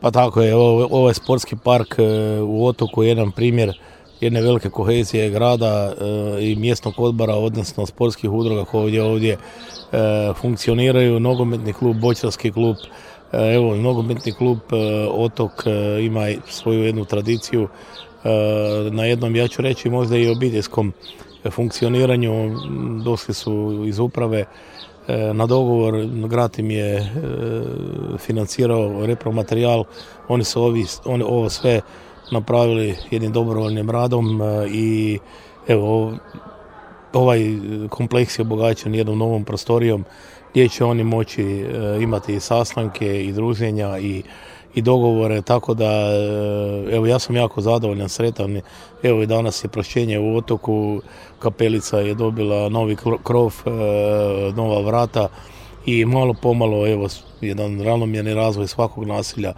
Pa tako je, ovo je sportski park u Otoku, jedan primjer jedne velike kohezije grada i mjesnog odbora, odnosno sportskih udruga koje ovdje funkcioniraju. Nogometni klub, boćarski klub, evo nogometni klub Otok ima svoju jednu tradiciju na jednom, ja ću reći, možda i obiteljskom funkcioniranju. Došli su iz uprave na dogovor, grad im je financirao repromaterijal, oni su ovo sve napravili jednim dobrovoljnim radom i evo ovaj kompleks je obogaćen jednom novom prostorijom gdje će oni moći imati i sastanke i druženja i dogovore, tako da evo ja sam jako zadovoljan, sretan. Evo i danas je prošćenje u Otoku, kapelica je dobila novi krov, nova vrata i malo pomalo evo jedan ravnomjerni razvoj svakog naselja